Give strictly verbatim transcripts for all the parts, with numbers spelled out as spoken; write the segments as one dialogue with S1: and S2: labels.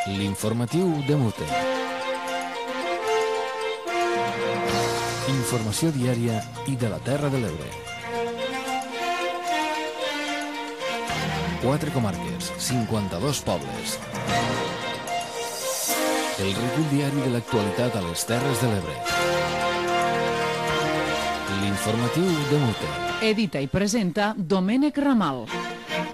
S1: L'informatiu de Mute. Informació diària i de la Terra de l'Ebre. Quatre comarques, cinquanta-dos pobles. El recull diari de l'actualitat a les Terres de l'Ebre. L'informatiu de Mute.
S2: Edita i presenta Domènec Ramal.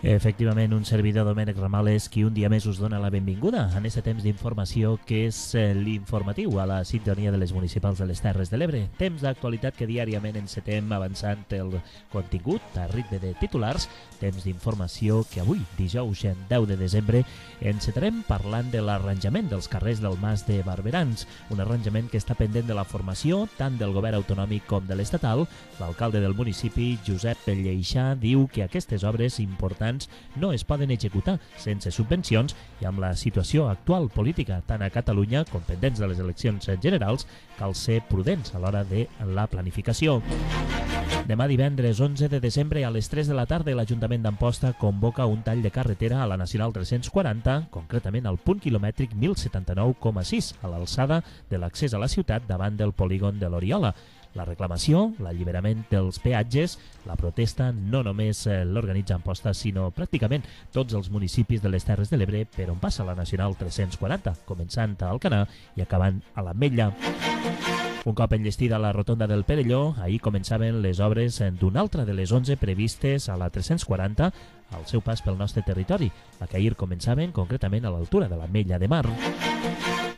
S3: Efectivament, un servidor, Domènec Ramal, és qui un dia més us dona la benvinguda en aquest temps d'informació que és l'informatiu a la sintonia de les municipals de les Terres de l'Ebre. Temps d'actualitat que diàriament encetem avançant el contingut a ritme de titulars. Temps d'informació que avui, dijous deu de desembre, encetarem parlant de l'arranjament dels carrers del Mas de Barberans, un arranjament que està pendent de la formació tant del govern autonòmic com de l'estatal. L'alcalde del municipi, Josep Lleixà, diu que aquestes obres importants no es poden executar sense subvencions i amb la situació actual política tant a Catalunya com pendents de les eleccions generals cal ser prudents a l'hora de la planificació. Demà divendres onze de desembre a les tres de la tarda l'Ajuntament d'Amposta convoca un tall de carretera a la Nacional tres-cents quaranta, concretament al punt quilomètric mil setanta-nou coma sis, a l'alçada de l'accés a la ciutat davant del polígon de l'Oriola. La reclamació, l'alliberament dels peatges, la protesta no només l'organitza Amposta, sinó pràcticament tots els municipis de les Terres de l'Ebre per on passa la Nacional tres-cents quaranta, començant a Alcanar i acabant a l'Ametlla. Un cop enllestida la rotonda del Perelló, ahir començaven les obres d'una altra de les onze previstes a la tres-cents quaranta al seu pas pel nostre territori, la que ahir començaven concretament a l'altura de l'Ametlla de Mar.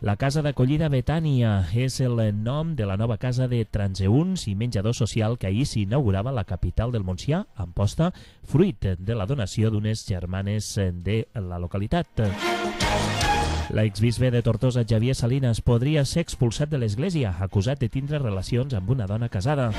S3: La Casa d'Acollida Betània és el nom de la nova casa de transeünts i menjador social que ahir s'inaugurava a la capital del Montsià, Amposta, fruit de la donació d'unes germanes de la localitat. L'exbisbe de Tortosa, Xavier Salinas, podria ser expulsat de l'església, acusat de tindre relacions amb una dona casada.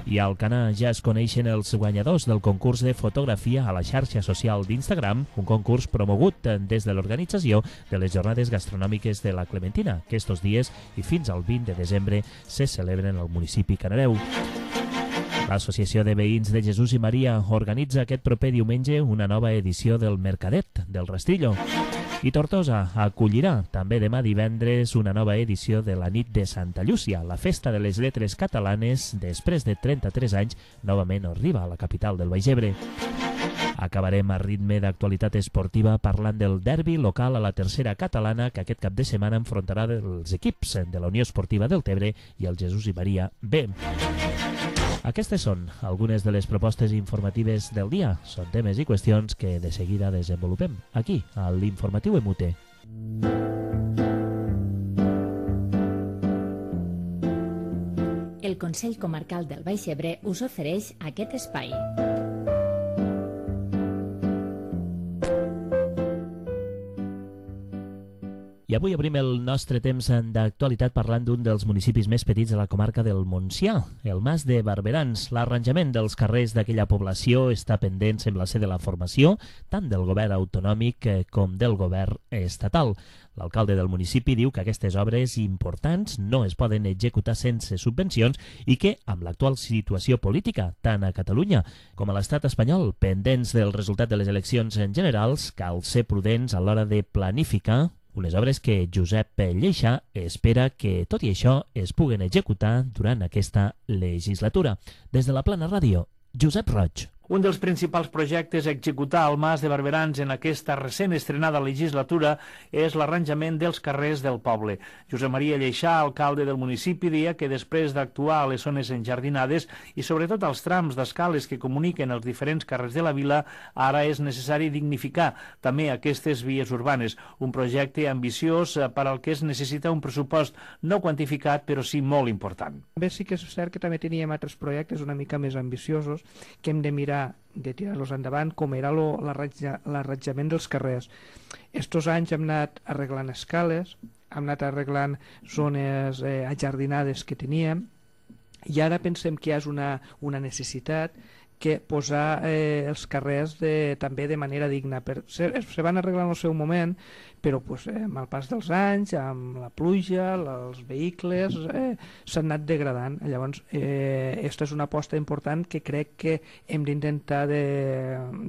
S3: I a Alcanar ja es coneixen els guanyadors del concurs de fotografia a la xarxa social d'Instagram, un concurs promogut des de l'organització de les jornades gastronòmiques de la Clementina, que estos dies i fins al vint de desembre se celebren al municipi Canareu. L'Associació de Veïns de Jesús i Maria organitza aquest proper diumenge una nova edició del Mercadet del Rastrillo. I Tortosa acollirà també demà divendres una nova edició de la Nit de Santa Llúcia. La festa de les lletres catalanes, després de trenta-tres anys, novament arriba a la capital del Baix Ebre. Acabarem a ritme d'actualitat esportiva parlant del derbi local a la tercera catalana que aquest cap de setmana enfrontarà els equips de la Unió Esportiva del Tebre i el Jesús i Maria B. Aquestes són algunes de les propostes informatives del dia. Són temes i qüestions que de seguida desenvolupem aquí, a l'Informatiu Emute.
S4: El Consell Comarcal del Baix Ebre us ofereix aquest espai.
S3: I avui obrim el nostre temps d'actualitat parlant d'un dels municipis més petits de la comarca del Montsià, el Mas de Barberans. L'arranjament dels carrers d'aquella població està pendent, sembla ser, de la formació tant del govern autonòmic com del govern estatal. L'alcalde del municipi diu que aquestes obres importants no es poden executar sense subvencions i que, amb l'actual situació política, tant a Catalunya com a l'estat espanyol, pendents del resultat de les eleccions generals, cal ser prudents a l'hora de planificar unes obres que Josep Lleixà espera que, tot i això, es puguen executar durant aquesta legislatura. Des de la Plana Ràdio, Josep Roig.
S5: Un dels principals projectes a executar al Mas de Barberans en aquesta recent estrenada legislatura és l'arranjament dels carrers del poble. Josep Maria Lleixà, alcalde del municipi, deia que després d'actuar a les zones enjardinades i sobretot als trams d'escales que comuniquen els diferents carrers de la vila, ara és necessari dignificar també aquestes vies urbanes. Un projecte ambiciós per al que es necessita un pressupost no quantificat, però sí molt important.
S6: Bé, sí que és cert que també teníem altres projectes una mica més ambiciosos que hem de mirar de tirar-los endavant, com era l'arranjament dels carrers. Estos anys hem anat arreglant escales, hem anat arreglant zones eh, ajardinades que teníem, i ara pensem que hi ha una, una necessitat que posar eh, els carrers de, també de manera digna. Per, se, se van arreglar en el seu moment, però pues, eh, amb el pas dels anys, amb la pluja, els vehicles, eh, s'han anat degradant. Llavors, eh, aquesta és una aposta important que crec que hem d'intentar de,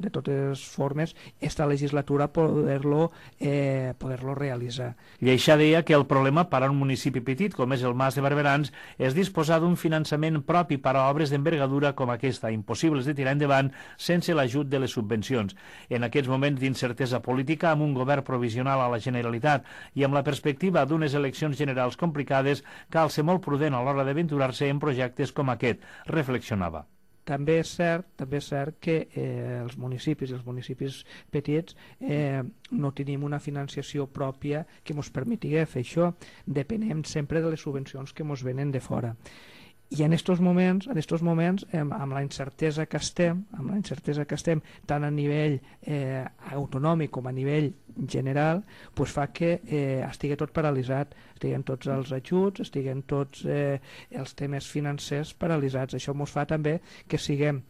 S6: de totes formes esta legislatura poder-lo eh, poder-lo realitzar.
S5: Lleixà deia que el problema per a un municipi petit com és el Mas de Barberans és disposar d'un finançament propi per a obres d'envergadura com aquesta, impossibles de tirar endavant sense l'ajut de les subvencions. En aquests moments d'incertesa política, amb un govern provisional a la Generalitat i amb la perspectiva d'unes eleccions generals complicades, cal ser molt prudent a l'hora d'aventurar-se en projectes com aquest, reflexionava.
S6: També és cert, també és cert que eh, els municipis i els municipis petits eh, no tenim una financiació pròpia que ens permeti fer això. Depenem sempre de les subvencions que ens venen de fora. I en aquests moments, en estos moments eh, amb la incertesa que estem, amb la incertesa que estem tant a nivell eh, autonòmic com a nivell general, pues fa que eh, estigui tot paralitzat, estiguen tots els ajuts, estiguen tots eh, els temes financers paralitzats. Això ens fa també que siguem,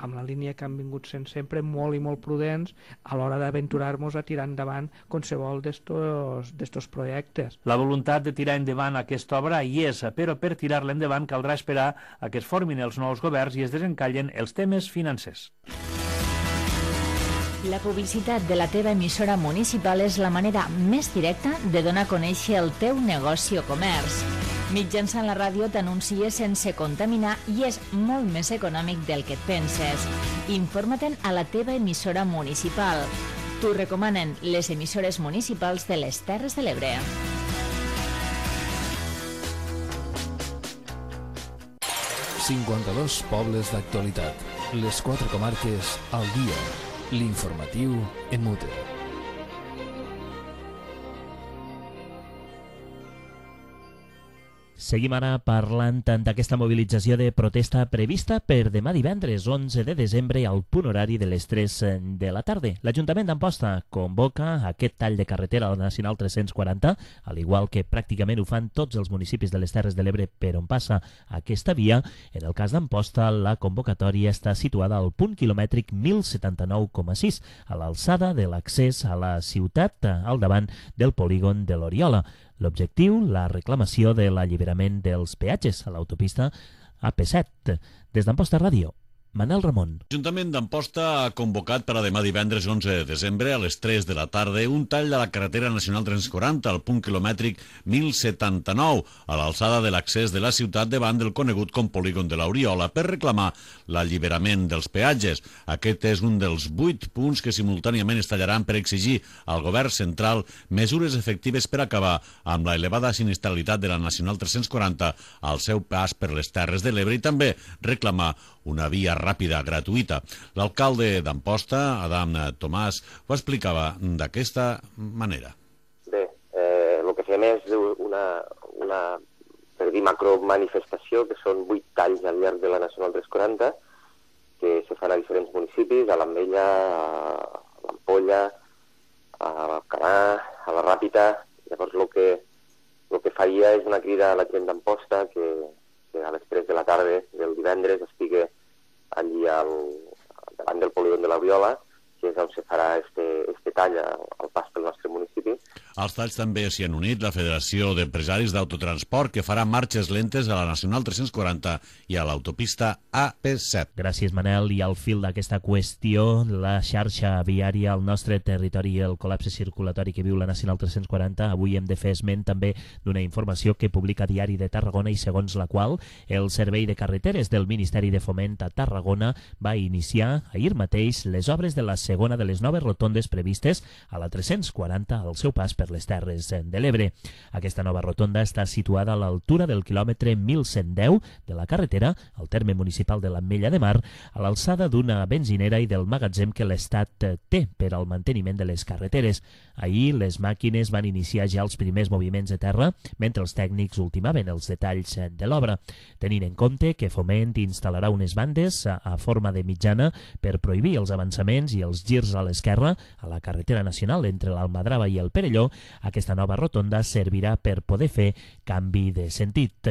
S6: amb la línia que han vingut sent sempre, molt i molt prudents a l'hora d'aventurar-nos a tirar endavant qualsevol d'estos projectes.
S5: La voluntat de tirar endavant aquesta obra hi és, però per tirar-la endavant caldrà esperar a que es formin els nous governs i es desencallen els temes financers.
S4: La publicitat de la teva emissora municipal és la manera més directa de donar a conèixer el teu negoci o comerç. Mitjançant la ràdio t'anuncies sense contaminar i és molt més econòmic del que et penses. Informa-te'n a la teva emissora municipal. T'ho recomanen les emissores municipals de les Terres de l'Ebre.
S1: cinquanta-dos pobles d'actualitat. Les quatre comarques al dia. L'informatiu en mute.
S3: Seguim ara parlant d'aquesta mobilització de protesta prevista per demà divendres onze de desembre al punt horari de les tres de la tarda. L'Ajuntament d'Amposta convoca aquest tall de carretera a la Nacional tres-cents quaranta, al igual que pràcticament ho fan tots els municipis de les Terres de l'Ebre per on passa aquesta via. En el cas d'Amposta, la convocatòria està situada al punt quilomètric mil setanta-nou coma sis, a l'alçada de l'accés a la ciutat, al davant del polígon de l'Oriola. L'objectiu, la reclamació de l'alliberament dels peatges a l'autopista A P set. Des d'Amposta Ràdio, Manel Ramon.
S7: L'Ajuntament d'Amposta ha convocat per a demà divendres onze de desembre a les tres de la tarda un tall de la carretera nacional tres-cents quaranta al punt quilomètric mil setanta-nou a l'alçada de l'accés de la ciutat davant del conegut com polígon de l'Oriola per reclamar l'alliberament dels peatges. Aquest és un dels vuit punts que simultàniament es tallaran per exigir al govern central mesures efectives per acabar amb la elevada sinistralitat de la nacional tres-cents quaranta al seu pas per les Terres de l'Ebre i també reclamar una via ràpida, gratuïta. L'alcalde d'Amposta, Adam Tomàs, ho explicava d'aquesta manera.
S8: Bé, eh, el que fem és una, una per dir, macromanifestació, que són vuit talls al llarg de la Nacional tres-cents quaranta, que se fan a diferents municipis, a l'Ametlla, a l'Ampolla, a l'Alcanar, a la Ràpita. Llavors, el que, el que faria és una crida a la gent d'Amposta que que a les tres de la tarda del divendres estigui allí al, davant del polígon de l'Oriola, que és on se farà este, este tall al pas pel nostre municipi.
S7: Als talls també s'hi han unit la Federació d'Empresaris d'Autotransport, que farà marxes lentes a la Nacional tres-cents quaranta i a l'autopista A P set.
S3: Gràcies, Manel. I al fil d'aquesta qüestió, la xarxa viària al nostre territori i el col·lapse circulatori que viu la Nacional tres-cents quaranta, avui hem de fer esment també d'una informació que publica Diari de Tarragona i segons la qual el Servei de Carreteres del Ministeri de Foment a Tarragona va iniciar ahir mateix les obres de la segona de les noves rotondes previstes a la tres-cents quaranta al seu pas per les Terres de l'Ebre. Aquesta nova rotonda està situada a l'altura del quilòmetre mil cent deu de la carretera, al terme municipal de l'Ametlla de Mar, a l'alçada d'una benzinera i del magatzem que l'Estat té per al manteniment de les carreteres. Ahir les màquines van iniciar ja els primers moviments de terra, mentre els tècnics ultimaven els detalls de l'obra, tenint en compte que Foment instal·larà unes bandes a, a forma de mitjana per prohibir els avançaments i els girs a l'esquerra a la carretera nacional entre l'Almadrava i el Perelló, aquesta nova rotonda servirà per poder fer canvi de sentit.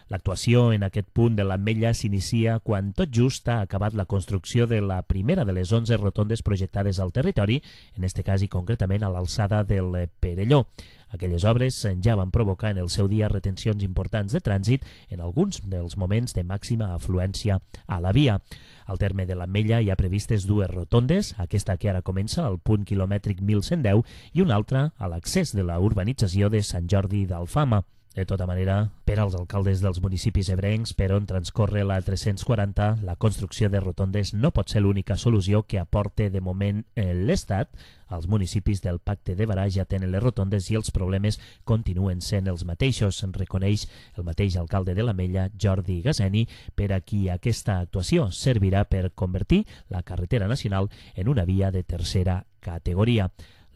S3: L'actuació en aquest punt de l'Ametlla s'inicia quan tot just ha acabat la construcció de la primera de les onze rotondes projectades al territori, en este cas i concretament a l'alçada del Perelló. Aquelles obres ja van provocar en el seu dia retencions importants de trànsit en alguns dels moments de màxima afluència a la via. Al terme de l'Ametlla hi ha previstes dues rotondes, aquesta que ara comença al punt quilomètric mil cent deu i una altra a l'accés de la urbanització de Sant Jordi d'Alfama. De tota manera, per als alcaldes dels municipis ebrencs per on transcorre la tres-cents quaranta, la construcció de rotondes no pot ser l'única solució que aporte de moment l'Estat. Els municipis del Pacte de Barà ja tenen les rotondes i els problemes continuen sent els mateixos, en reconeix el mateix alcalde de l'Ametlla, Jordi Gazeni, per a qui aquesta actuació servirà per convertir la carretera nacional en una via de tercera categoria.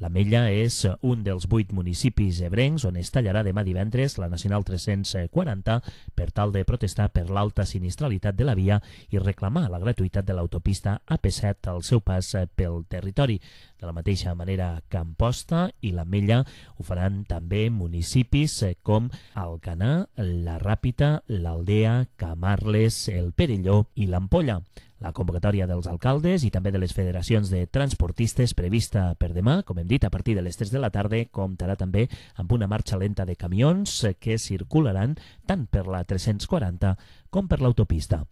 S3: L'Ametlla és un dels vuit municipis ebrencs on es tallarà demà divendres la Nacional tres-cents quaranta per tal de protestar per l'alta sinistralitat de la via i reclamar la gratuïtat de l'autopista A P set al seu pas pel territori. De la mateixa manera que Amposta i l'Ametlla ho faran també municipis com Alcanar, la Ràpita, l'Aldea, Camarles, el Perelló i l'Ampolla. La convocatòria dels alcaldes i també de les federacions de transportistes prevista per demà, com hem dit, a partir de les tres de la tarda, comptarà també amb una marxa lenta de camions que circularan tant per la tres-cents quaranta com per l'autopista.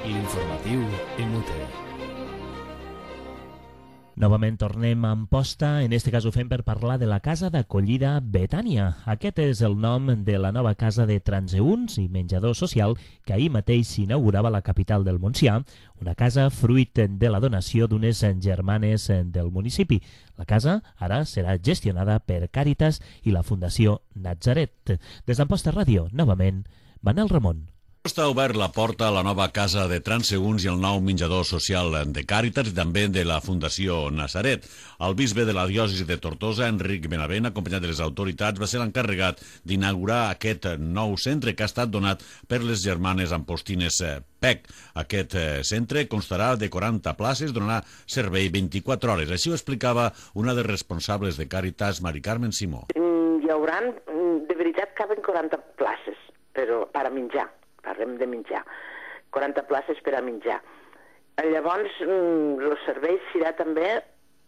S1: L'informatiu M T.
S3: Novament tornem a Amposta, en este cas ho fem per parlar de la casa d'acollida Betània. Aquest és el nom de la nova casa de transeünts i menjador social que ahir mateix s'inaugurava a la capital del Montsià, una casa fruit de la donació d'unes germanes del municipi. La casa ara serà gestionada per Càritas i la Fundació Natzaret. Des d'Amposta Ràdio, novament, Manel Ramon.
S7: Està obert la porta a la nova casa de transeünts i el nou menjador social de Càritas i també de la Fundació Natzaret. El bisbe de la diòcesi de Tortosa, Enric Benavent, acompanyat de les autoritats, va ser l'encarregat d'inaugurar aquest nou centre que ha estat donat per les germanes ampostines P E C. Aquest centre constarà de quaranta places, donarà servei vint-i-quatre hores. Així ho explicava una de les responsables de Càritas, Mari Carmen Simó.
S9: Hi haurà, de veritat, caben quaranta places, però per a menjar. Parlem de menjar, quaranta places per a menjar. Llavors, el servei serà també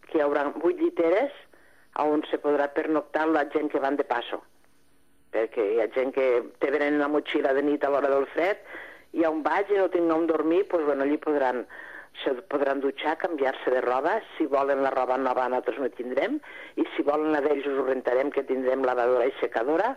S9: que hi haurà vuit lliteres on se podrà pernoctar la gent que van de passo. Perquè hi ha gent que te venen una motxilla de nit a l'hora del fred i on vaig i no tinc on dormir, doncs bueno, allí podran, se podran dutxar, canviar-se de roba. Si volen la roba nova nosaltres no tindrem i si volen la d'ells us ho rentarem, que tindrem lavadora i secadora.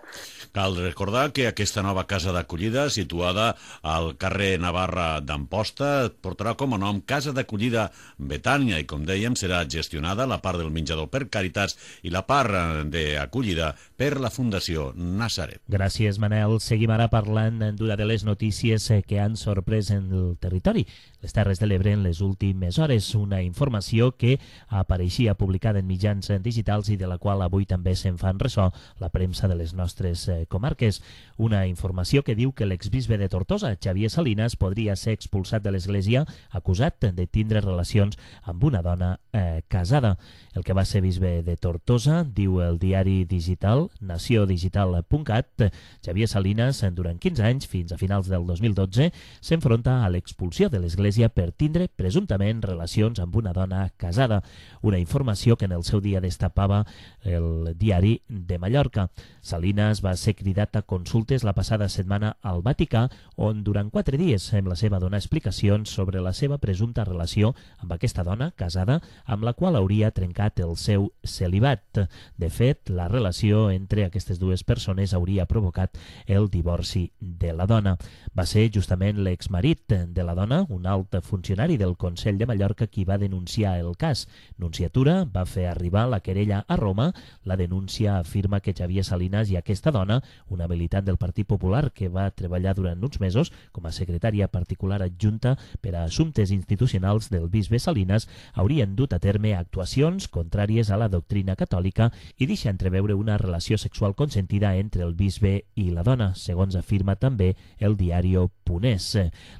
S7: Cal recordar que aquesta nova casa d'acollida, situada al carrer Navarra d'Amposta, portarà com a nom Casa d'Acollida Betània i, com dèiem, serà gestionada la part del menjador per Càritas i la part d'acollida per la Fundació Natzaret.
S3: Gràcies, Manel. Seguim ara parlant d'una de les notícies que han sorprès en el territori, les Terres de l'Ebre, en les últimes hores. Una informació que apareixia publicada en mitjans digitals i de la qual avui també se'n fan ressò la premsa de les nostres comarques. Una informació que diu que l'exbisbe de Tortosa, Xavier Salinas, podria ser expulsat de l'església acusat de tindre relacions amb una dona eh, casada. El que va ser bisbe de Tortosa, diu el diari digital nació digital punt cat, Xavier Salinas, durant quinze anys, fins a finals del dos mil dotze, s'enfronta a l'expulsió de l'església per tindre presumptament relacions amb una dona casada. Una informació que en el seu dia destapava el diari de Mallorca. Salinas va ser cridat a consultes la passada setmana al Vaticà, on durant quatre dies sembla ser va donar explicacions sobre la seva presumpta relació amb aquesta dona casada, amb la qual hauria trencat el seu celibat. De fet, la relació entre aquestes dues persones hauria provocat el divorci de la dona. Va ser justament l'exmarit de la dona, un alt funcionari del Consell de Mallorca, qui va denunciar el cas. Nunciatura va fer arribar la querella a Roma. La denúncia afirma que Xavier Salinas i aquesta dona, una militant del Partit Popular que va treballar durant uns mesos com a secretària particular adjunta per a assumptes institucionals del bisbe Salinas, haurien dut a terme actuacions contràries a la doctrina catòlica i deixa entreveure una relació sexual consentida entre el bisbe i la dona, segons afirma també el diari Punès.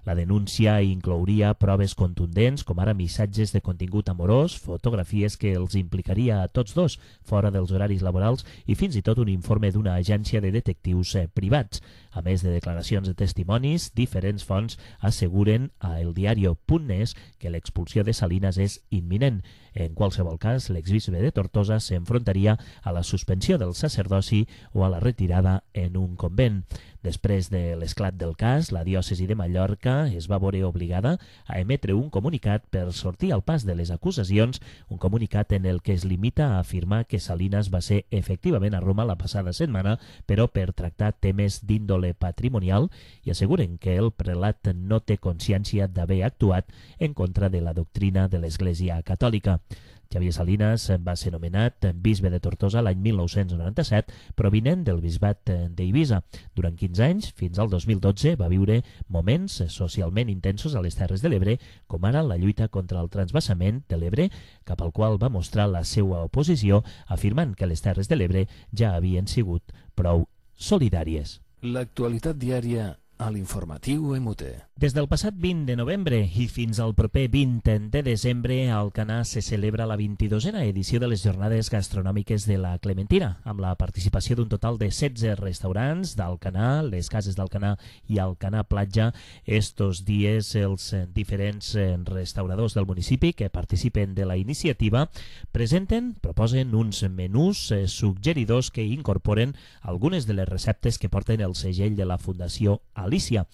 S3: La denúncia inclouria proves contundents, com ara missatges de contingut amorós, fotografies que els implicaria a tots dos fora dels horaris laborals i fins i tot un informe d'una agència de detectius privats. A més de declaracions de testimonis, diferents fonts asseguren a eldiario punt net que l'expulsió de Salinas és imminent. En qualsevol cas, l'exbisbe de Tortosa s'enfrontaria a la suspensió del sacerdoci o a la retirada en un convent. Després de l'esclat del cas, la diòcesi de Mallorca es va veure obligada a emetre un comunicat per sortir al pas de les acusacions, un comunicat en el que es limita a afirmar que Salinas va ser efectivament a Roma la passada setmana, però per tractar temes d'índole patrimonial, i asseguren que el prelat no té consciència d'haver actuat en contra de la doctrina de l'Església Catòlica. Xavier Salinas va ser nomenat bisbe de Tortosa l'any mil nou-cents noranta-set, provinent del bisbat d'Eivissa. Durant quinze anys, fins al dos mil dotze, va viure moments socialment intensos a les Terres de l'Ebre, com ara la lluita contra el transvasament de l'Ebre, cap al qual va mostrar la seva oposició, afirmant que les Terres de l'Ebre ja havien sigut prou solidàries.
S1: L'actualitat diària a l'informatiu M U T.
S3: Des del passat vint de novembre i fins al proper vint de desembre, a Alcanar se celebra la vint-i-dosena edició de les Jornades Gastronòmiques de la Clementina, amb la participació d'un total de setze restaurants d'Alcanar, les cases d'Alcanar i Alcanar Platja. Estos dies, els diferents restauradors del municipi que participen de la iniciativa presenten, proposen uns menús suggeridors que incorporen algunes de les receptes que porten el segell de la Fundació Alícia.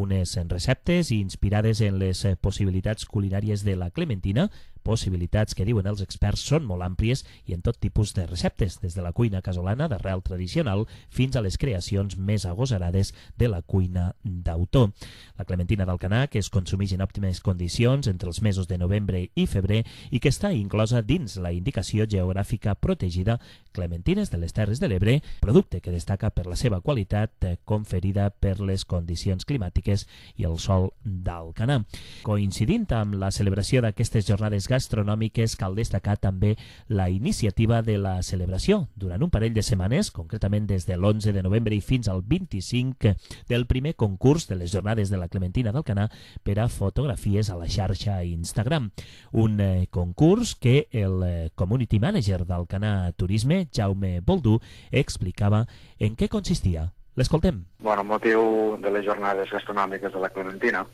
S3: Unes receptes inspirades en les possibilitats culinàries de la Clementina, possibilitats que diuen els experts són molt àmplies i en tot tipus de receptes, des de la cuina casolana d'arrel tradicional fins a les creacions més agosarades de la cuina d'autor. La Clementina d'Alcanar, que es consumeix en òptimes condicions entre els mesos de novembre i febrer i que està inclosa dins la indicació geogràfica protegida Clementines de les Terres de l'Ebre, producte que destaca per la seva qualitat conferida per les condicions climàtiques i el sol d'Alcanar. Coincidint amb la celebració d'aquestes jornades gastronòmiques, cal destacar també la iniciativa de la celebració durant un parell de setmanes, concretament des de l'onze de novembre i fins al vint-i-cinc, del primer concurs de les Jornades de la Clementina d'Alcanar per a fotografies a la xarxa Instagram. Un eh, concurs que el eh, community manager d'Alcanar Turisme, Jaume Boldú, explicava en què consistia. L'escoltem.
S10: Bueno, amb motiu de les Jornades Gastronòmiques de la Clementina,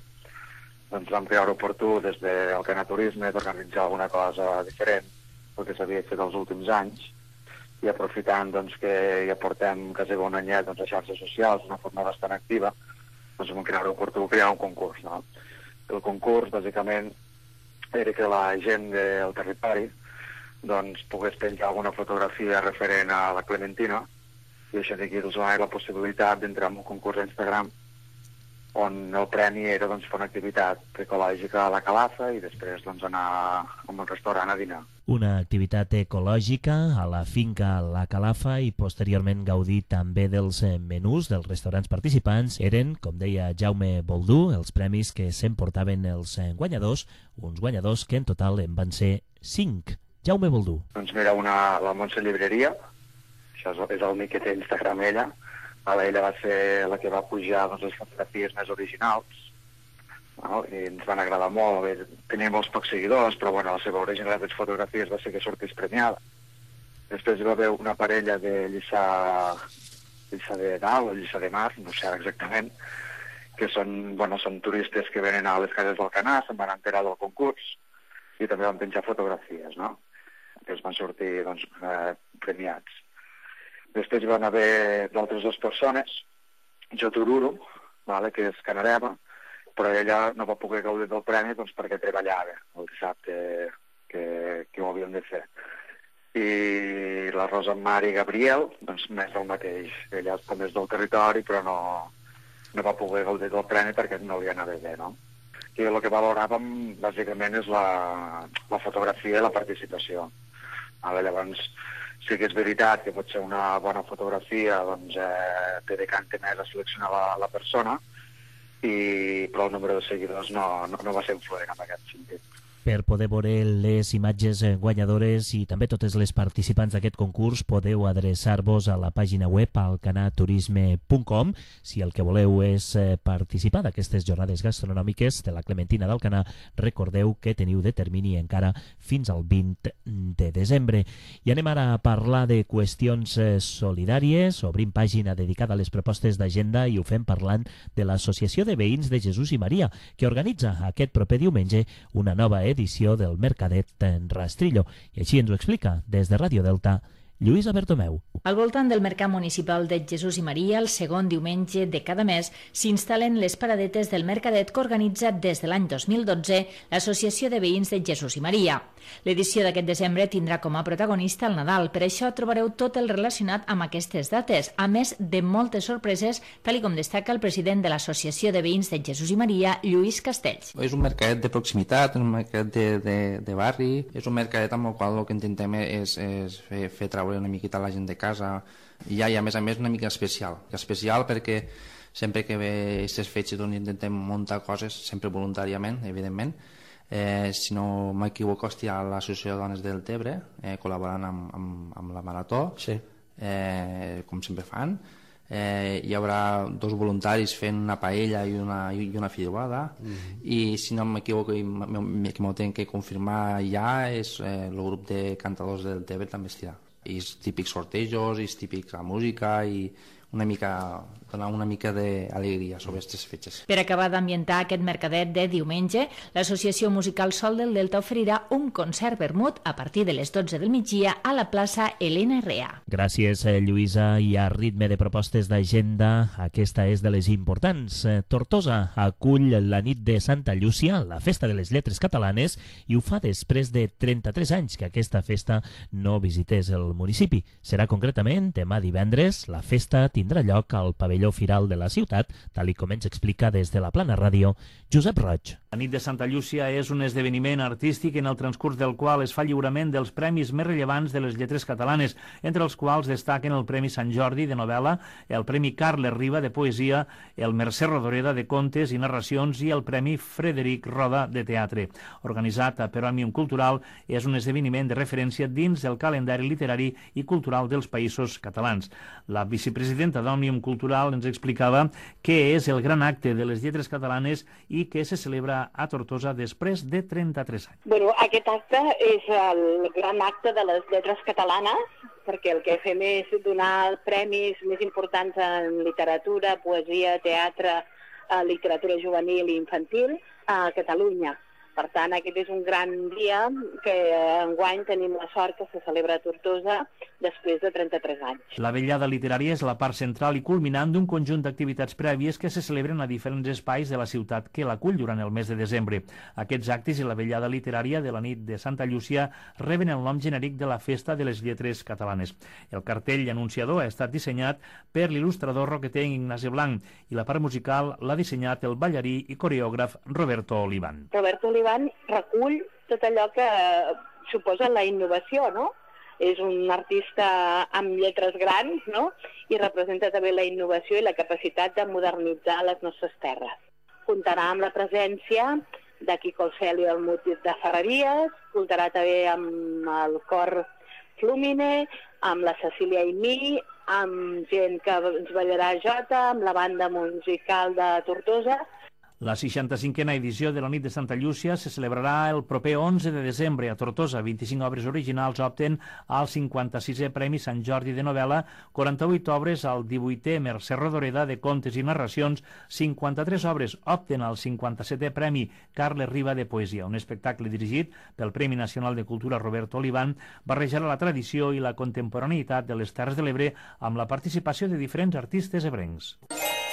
S10: doncs vam creure oportú des d'Alcanar Turisme d'organitzar alguna cosa diferent del que s'havia fet els últims anys, i aprofitant doncs, que ja portem quasi un anyet doncs, a xarxes socials, d'una forma bastant activa, doncs vam creure oportú crear un concurs. No? El concurs, bàsicament, era que la gent del territori doncs, pogués penjar alguna fotografia referent a la Clementina, i això d'aquí els va la possibilitat d'entrar en un concurs a Instagram on el premi era doncs, fer una activitat ecològica a la Calafa i després doncs, anar a un restaurant a dinar.
S3: Una activitat ecològica a la finca La Calafa i posteriorment gaudir també dels menús dels restaurants participants eren, com deia Jaume Boldú, els premis que s'emportaven els guanyadors, uns guanyadors que en total en van ser cinc. Jaume Boldú.
S10: Doncs mira, una, la Montse Llibreria, això és el mic que té Instagram ella, ella va ser la que va pujar doncs, les fotografies més originals, no? I ens van agradar molt. Bé, tenia molts pocs seguidors, però bueno, la seva originalitat de fotografies va ser que sortís premiada. Després hi va haver una parella de Lliçà, Lliçà de Dalt o Lliçà de Mar, no sé exactament, que són, bueno, són turistes que venen a les cases d'Alcanar, se'n van enterar del concurs i també van penjar fotografies, no? Que es van sortir doncs, eh, premiats. Després hi van haver d'altres dues persones, Jo Tururu, vale, que és canareva, però ella no va poder gaudir del premi doncs, perquè treballava el dissabte que, que ho havíem de fer. I la Rosa Mari Gabriel, doncs més del mateix. Ella també és del territori, però no, no va poder gaudir del premi perquè no li anava bé, no? I el que valoràvem, bàsicament, és la, la fotografia i la participació. Vale, llavors, sí que és veritat que pot ser una bona fotografia, doncs eh, te decanta més a seleccionar la, la persona, i, però el número de seguidors no, no, no va ser influent en aquest sentit.
S3: Per poder veure les imatges guanyadores i també totes les participants d'aquest concurs podeu adreçar-vos a la pàgina web alcanaturisme punt com. Si el que voleu és participar d'aquestes jornades gastronòmiques de la Clementina d'Alcanar, recordeu que teniu de termini encara fins al vint de desembre. I anem ara a parlar de qüestions solidàries. Obrim pàgina dedicada a les propostes d'agenda i ho fem parlant de l'Associació de Veïns de Jesús i Maria, que organitza aquest proper diumenge una nova edició del Mercadet en Rastrillo. I així ens ho explica des de Ràdio Delta Lluïsa Bertomeu.
S4: Al voltant del Mercat Municipal de Jesús i Maria, el segon diumenge de cada mes, s'instal·len les paradetes del Mercadet que organitza des de l'any dos mil dotze l'Associació de Veïns de Jesús i Maria. L'edició d'aquest desembre tindrà com a protagonista el Nadal, per això trobareu tot el relacionat amb aquestes dates, a més de moltes sorpreses, tal com destaca el president de l'Associació de Veïns de Jesús i Maria, Lluís Castells.
S11: És un mercadet de proximitat, un mercadet de, de, de barri, és un mercadet amb el qual el que intentem és, és fer, fer treure una miqueta la gent de casa i ja, i a més a més una mica especial. Especial perquè sempre que ve aquestes fetges on intentem muntar coses, sempre voluntàriament, evidentment. Eh, si no m'equivoco, hòstia, l'Associació de Dones del Tebre, eh, col·laborant amb, amb, amb la Marató, sí. eh, com sempre fan. Eh, hi haurà dos voluntaris fent una paella i una, i una fideuada, mm-hmm. i si no m'equivoco i m'ho tinc que confirmar ja, és eh, el grup de cantadors del Tebre també estirà. I els típics sortejos, i els típics la música, i una mica, donar una mica d'alegria sobre aquestes fetges.
S4: Per acabar d'ambientar aquest mercadet de diumenge, l'Associació Musical Sol del Delta oferirà un concert vermut a partir de les dotze del migdia a la plaça Elena Rea.
S3: Gràcies, Lluïsa. I a ritme de propostes d'agenda, aquesta és de les importants. Tortosa acull la nit de Santa Llúcia, la festa de les lletres catalanes, i ho fa després de trenta-tres anys que aquesta festa no visités el municipi. Serà concretament demà divendres. La festa tindrà lloc al pavelló Firal de la ciutat, tal com ens explica des de la Plana Ràdio Josep Roig.
S5: La nit de Santa Llúcia és un esdeveniment artístic en el transcurs del qual es fa lliurament dels premis més rellevants de les lletres catalanes, entre els quals destaquen el Premi Sant Jordi de novel·la, el Premi Carles Riba de poesia, el Mercè Rodoreda de contes i narracions i el Premi Frederic Roda de teatre. Organitzat per Òmnium Cultural, és un esdeveniment de referència dins del calendari literari i cultural dels països catalans. La vicepresidenta d'Òmnium Cultural ens explicava què és el gran acte de les lletres catalanes i que se celebra a Tortosa després de trenta-tres anys.
S12: Bueno, aquest acte és el gran acte de les lletres catalanes, perquè el que fem és donar premis més importants en literatura, poesia, teatre, literatura juvenil i infantil a Catalunya. Per tant, aquest és un gran dia que enguany tenim la sort que se celebra a Tortosa després de trenta-tres anys.
S5: La vetllada literària és la part central i culminant d'un conjunt d'activitats prèvies que se celebren a diferents espais de la ciutat que l'acull durant el mes de desembre. Aquests actes i la vetllada literària de la nit de Santa Llúcia reben el nom genèric de la Festa de les Lletres Catalanes. El cartell anunciador ha estat dissenyat per l'il·lustrador roqueter Ignasi Blanc i la part musical l'ha dissenyat el ballarí i coreògraf Roberto Olivan.
S12: Roberto Olivan recull tot allò que suposa la innovació, no? És un artista amb lletres grans, no? I representa també la innovació i la capacitat de modernitzar les nostres terres. Comptarà amb la presència de Quico Alceli del Mutit de Ferreries, comptarà també amb el cor Flumine, amb la Cecília Aimí, amb gent que ens ballarà jota, amb la banda musical de Tortosa.
S5: La seixanta-cinquena edició de la nit de Santa Llúcia se celebrarà el proper onze de desembre a Tortosa. vint-i-cinc obres originals opten al cinquanta-sisè Premi Sant Jordi de novel·la, quaranta-vuit obres al divuitè Mercè Rodoreda de contes i narracions, cinquanta-tres obres opten al cinquanta-setè Premi Carles Riba de poesia. Un espectacle dirigit pel Premi Nacional de Cultura Roberto Olivan barrejarà la tradició i la contemporaneïtat de les Terres de l'Ebre amb la participació de diferents artistes ebrencs.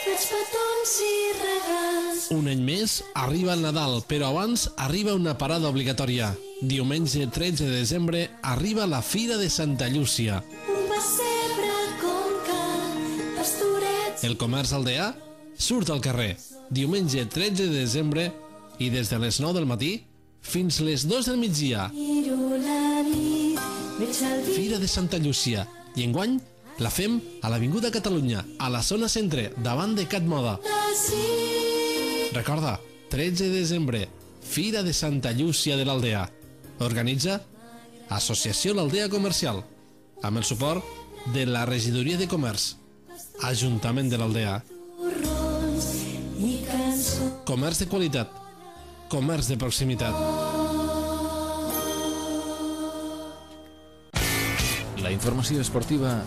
S13: Fets petons i regals. Un any més arriba el Nadal, però abans arriba una parada obligatòria. Diumenge tretze de desembre arriba la Fira de Santa Llúcia. Un pessebre com cal, pastorets. El comerç aldeà surt al carrer. Diumenge tretze de desembre i des de les nou del matí fins les dues del migdia. Fira de Santa Llúcia. I enguany la fem a l'Avinguda Catalunya, a la zona centre, davant de Cat Moda. Recorda, tretze de desembre, Fira de Santa Llúcia de l'Aldea. Organitza Associació L'Aldea Comercial, amb el suport de la Regidoria de Comerç, Ajuntament de l'Aldea. Comerç de qualitat, comerç de proximitat.
S1: La informació esportiva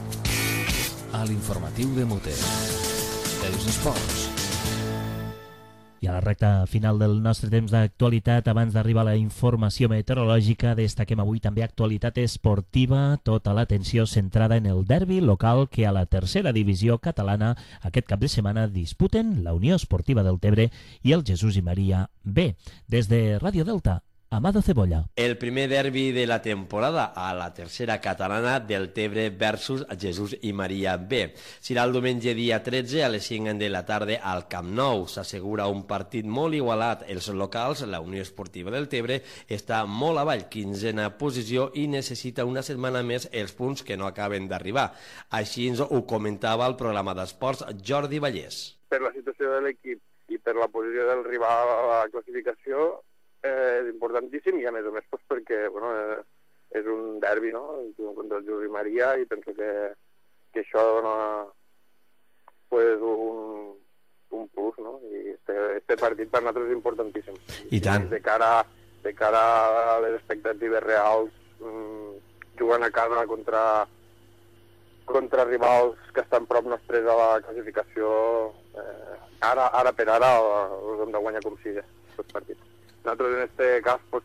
S1: a l'informatiu de Mote. Els esports.
S3: I a la recta final del nostre temps d'actualitat, abans d'arribar a la informació meteorològica, destaquem avui també actualitat esportiva, tota l'atenció centrada en el derbi local que a la tercera divisió catalana aquest cap de setmana disputen la Unió Esportiva del Tebre i el Jesús i Maria B. Des de Ràdio Delta, Amado Cebolla.
S14: El primer derbi de la temporada a la tercera catalana del Tebre versus Jesús i Maria B. Serà el diumenge dia tretze a les cinc de la tarda al Camp Nou. S'assegura un partit molt igualat. Els locals, la Unió Esportiva del Tebre, està molt avall, quinzena posició, i necessita una setmana més els punts que no acaben d'arribar. Així ens ho comentava el programa d'esports Jordi Vallès.
S15: Per la situació de l'equip i per la posició del rival a la classificació, Eh, és importantíssim, i a més a més pues, perquè bueno, eh, és un derbi, no?, contra el Jesús i Maria, i penso que, que això dona pues, un, un plus, no?, i este, este partit per nosaltres és importantíssim.
S14: I tant.
S15: I de cara, de cara a les expectatives reals, mmm, jugant a casa contra, contra rivals que estan prop nostres a la classificació, eh, ara, ara per ara els hem de guanyar com sigui, aquests partits. Nosaltres en aquest cas pues,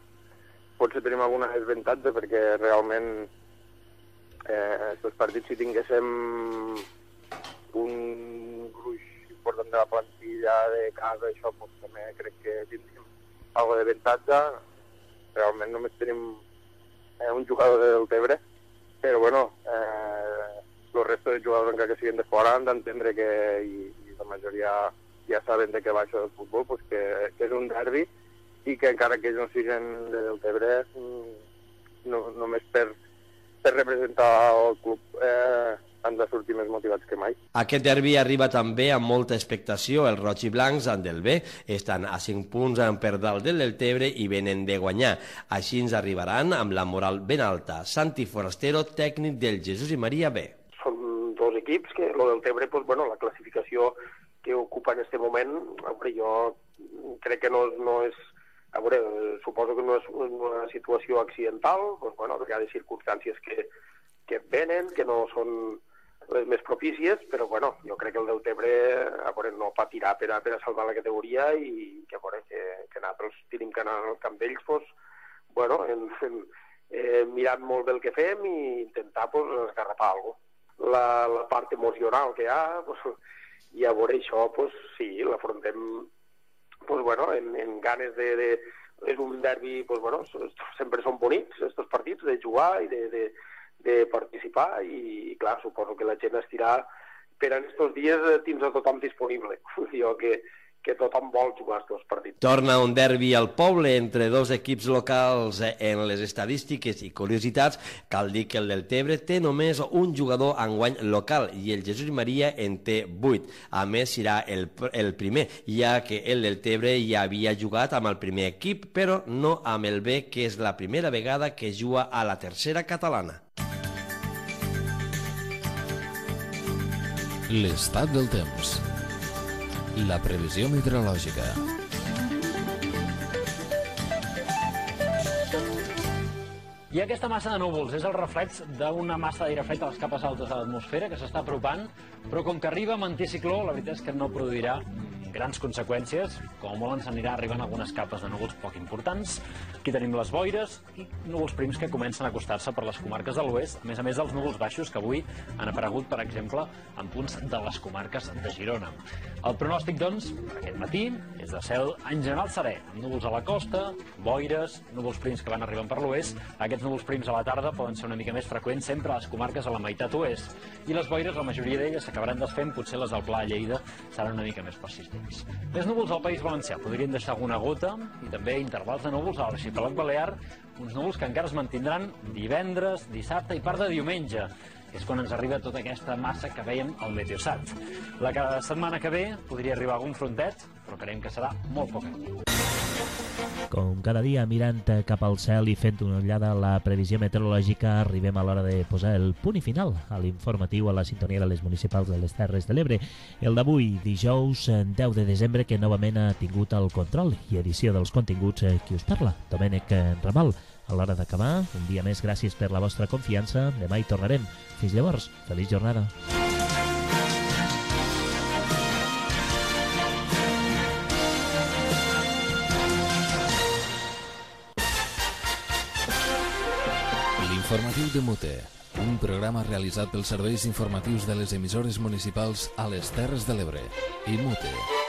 S15: potser tenim alguna desavantatge perquè realment eh, aquests partits, si tinguéssim un gruix important de la plantilla de casa, això pues, també crec que tindríem alguna d'avantatge. Realment només tenim eh, un jugador del Tebre, però bueno, eh, el resto de jugadors encara que siguin de fora han d'entendre que, i, i la majoria ja saben de què va això del futbol, pues, que, que és un derbi, i que encara que ells no siguin del Tebre, no, només per, per representar el club eh, han de sortir més motivats que mai.
S14: Aquest derbi arriba també amb molta expectació. Els roig i blancs del B estan a cinc punts per dalt del del Tebre i venen de guanyar. Així ens arribaran amb la moral ben alta. Santi Forastero, tècnic del Jesús i Maria B.
S16: Són dos equips que, lo del Tebre, pues, bueno, la classificació que ocupa en aquest moment, hombre, jo crec que no, no és... A veure, suposo que no és una situació accidental, doncs, bueno, hi ha de circumstàncies que, que venen, que no són les més propícies, però bueno, jo crec que el del Tebre a veure, no patirà per a, per a salvar la categoria i que, a veure, que, que nosaltres tenim que anar al camp d'ells, doncs, bueno, en, en, eh, mirant molt bé el que fem i intentar pues, esgarrapar alguna cosa. La, la part emocional que hi ha, pues, i a veure això, pues, sí, l'afrontem pues bueno, en, en ganes de, de... És un derbi, pues bueno, sempre són bonics, estos partits, de jugar i de, de, de participar, i clar, suposo que la gent estirà per en estos dies tindre tothom disponible. Jo que, que tothom vol jugar aquests partits.
S14: Torna un derbi al poble entre dos equips locals. En les estadístiques i curiositats cal dir que el del Tebre té només un jugador enguany local i el Jesús i Maria en té vuit. A més, serà el, el primer, ja que el del Tebre ja havia jugat amb el primer equip, però no amb el B, que és la primera vegada que juga a la tercera catalana.
S1: L'estat del temps. La previsió meteorològica.
S17: I aquesta massa de núvols és el reflex d'una massa d'aire fred a les capes altes de l'atmosfera que s'està apropant, però com que arriba amb anticicló, la veritat és que no produirà grans conseqüències. Com a molt ens anirà arribant algunes capes de núvols poc importants. Aquí tenim les boires i núvols prims que comencen a acostar-se per les comarques de l'oest, a més a més dels núvols baixos que avui han aparegut, per exemple, en punts de les comarques de Girona. El pronòstic, doncs, per aquest matí és de cel en general serè, amb núvols a la costa, boires, núvols prims que van arribant per l'oest. Aquests núvols prims a la tarda poden ser una mica més freqüents sempre a les comarques a la meitat oest. I les boires, la majoria d'elles s'acabaran desfent, potser les del Pla a Lleida seran una mica més persistents. Més núvols al País Valencià, podrien deixar alguna gota, i també intervals de núvols a l'arxipèlag balear, uns núvols que encara es mantindran divendres, dissabte i part de diumenge. És quan ens arriba tota aquesta massa que veiem al Meteosat. La setmana que ve podria arribar algun frontet, però creiem que serà molt poc.
S3: Com cada dia, mirant cap al cel i fent una ullada a la previsió meteorològica, arribem a l'hora de posar el punt i final a l'informatiu a la sintonia de les municipals de les Terres de l'Ebre. El d'avui, dijous deu de desembre, que novament ha tingut el control i edició dels continguts qui us parla, Domènec Ramal. A l'hora d'acabar, un dia més, gràcies per la vostra confiança. Demà hi tornarem. Fins llavors, feliç jornada.
S1: Informatiu de Mute, un programa realitzat pels serveis informatius de les emissores municipals a les Terres de l'Ebre i Mute.